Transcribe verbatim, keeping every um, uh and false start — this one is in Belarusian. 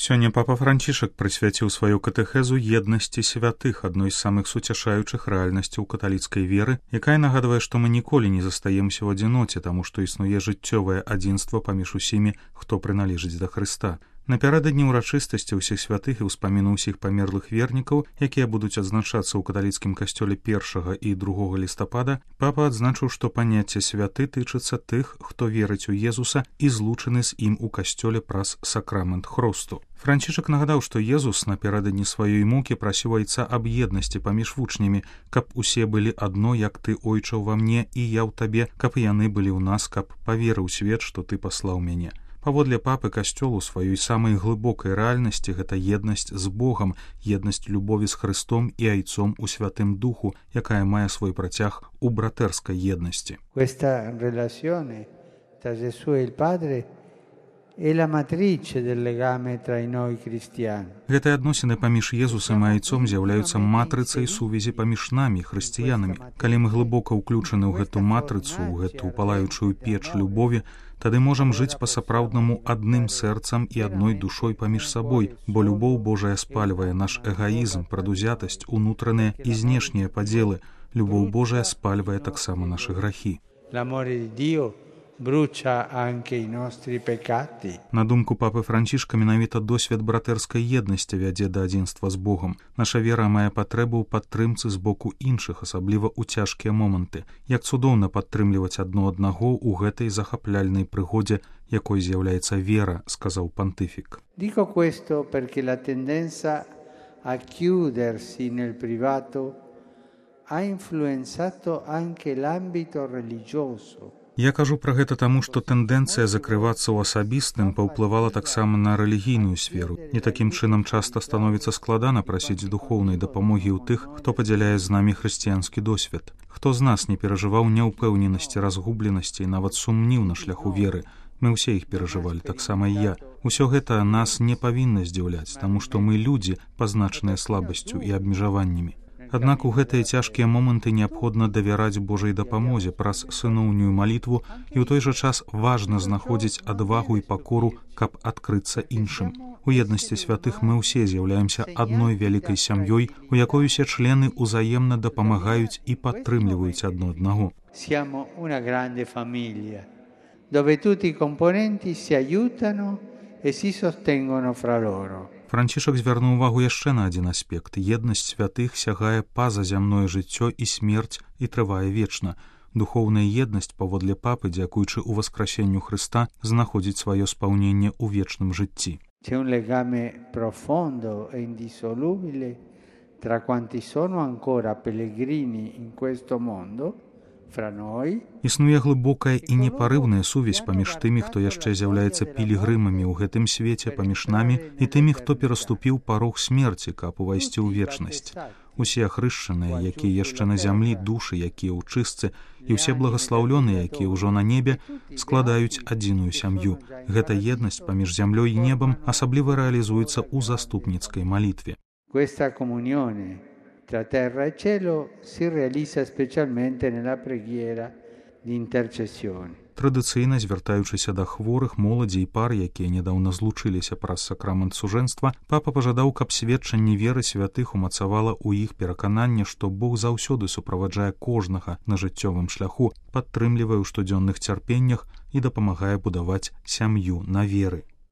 Сёння папа Францішак прысвяціў сваю катэхезу еднасці святых, адной з самых суцяшаючых рэальнасцяў каталіцкай веры, якая нагадвае, што мы ніколі не застаемся ў адзіноце, таму што існуе жыццёвае адзінства паміж усімі, хто прыналежыць да Хрыста. Напярэдадні ўрачыстасці ўсіх святых і ўспаміну ўсіх памерлых вернікаў, якія будуць адзначацца ў каталіцкім касцёле першага і другога лістапада, папа адзначыў, што паняцце святы тычыцца тых, хто верыць у Езуса і злучаны з ім у касцёле праз сакрамент хросту. Францішак нагадаў, што Езус напярэдадні сваёй мукі прасіў айца аб еднасці паміж вучнямі, каб усе былі адно, як ты, ойча, ўва мне, і я ў табе, каб яны былі ў нас, каб паверыў свет, што ты паслаў мяне. Паводле папы касцёл у сваёй самай глыбокай рэальнасці гэта еднасць з Богам, еднасць любові з Хрыстом і айцом у Святым Духу, якая мае свой працяг у братэрскай еднасці. Questa relazione tra Gesù e il Padre è la matrice del legame tra noi cristiani. Гэтыя адносіны паміж Езусам і айцом з'яўляюцца матрыцай сувязі паміж намі, хрысціянамі. Калі мы глыбока ўключаны ў гэту матрыцу, ў гэту палаючую печ любові, тады можам жыць па-сапраўднаму адным сэрцам і адной душой паміж сабой, бо любоў Божая спальвае наш эгоізм, прадузятасць, унутраныя і знешнія падзелы. Любоў Божая спальвае таксама нашы грахі. L'amore di Dio brucia anche i nostri peccati. На думку папы Францішка, менавіта досвед братэрскай еднасці вядзе да адзінства з Богом. Наша вера мае патрэбу ў падтрымцы з боку іншых, асабліва ў цяжкія моманты. Як цудоўна падтрымліваць адно аднаго ў гэтай захапляльнай прыгодзе, якой з'яўляецца вера, сказаў пантыфік. Dico questo perché la tendenza a chiudersi nel privato ha influenzato anche l'ambito religioso. Я кажу пра гэта таму, што тэндэнцыя закрывацца ў асабістым паўплывала таксама на рэлігійную сферу. І такім чынам часта становіцца складана прасіць духоўнай дапамогі ў тых, хто падзяляе з намі хрысціянскі досвед. Хто з нас не перажываў няўпэўненасці, разгубленасці і нават сумніў на шляху веры? Мы ўсе іх перажывалі, таксама і я. Усё гэта нас не павінна здзіўляць, таму што мы людзі, пазначаныя слабасцю і абмежаваннямі. Аднак у гэтыя цяжкія моманты неабходна давяраць Божай дапамозе праз сыноўнюю малітву, і ў той жа час важна знаходзіць адвагу і пакору, каб адкрыцца іншым. У еднасці святых мы ўсе з'яўляемся адной вялікай сям'ёй, у якой усе члены ўзаемна дапамагаюць і падтрымліваюць адно аднаго. Siamo una grande famiglia, dove tutti i componenti si aiutano e si sostengono fra loro. Францішак звярнуў увагу яшчэ на адзін аспект. Еднасць святых сягае па-за зямное жыццё і смерць і трывае вечна. Духоўная еднасць, паводле папы, дзякуючы ўваскрасенню Хрыста, знаходзіць сваё спаўненне ў вечным жыцці. C'è un legame profondo e indissolubile tra quanti sono ancora pellegrini in questo mondo. Існуе глыбокая і непарыўная сувязь паміж тымі, хто яшчэ з'яўляецца пілігрымамі ў гэтым свеце, паміж намі і тымі, хто пераступіў парог смерці, каб увайсці ў вечнасць. Усе ахрышчаныя, якія яшчэ на зямлі, душы, якія ў чыстцы, і ўсе благаслаўлёныя, якія ўжо на небе, складаюць адзіную сям'ю. Гэта еднасць паміж зямлёй і небам асабліва рэалізуецца ў заступніцкай малітве. Questa comunione tra terra e cielo si realizza specialmente nella preghiera di intercessione. Традыцыйна, звяртаючыся да хворых, моладзі і пар, якія нядаўна злучыліся праз сакрамент сужэнства, папа пажадаў, каб сведчанне веры святых умацавала ў іх перакананне, што Бог заўсёды суправаджае кожнага на жыццёвым шляху, падтрымлівае ў штодзённых цярпеннях і дапамагае будаваць сям'ю на веры.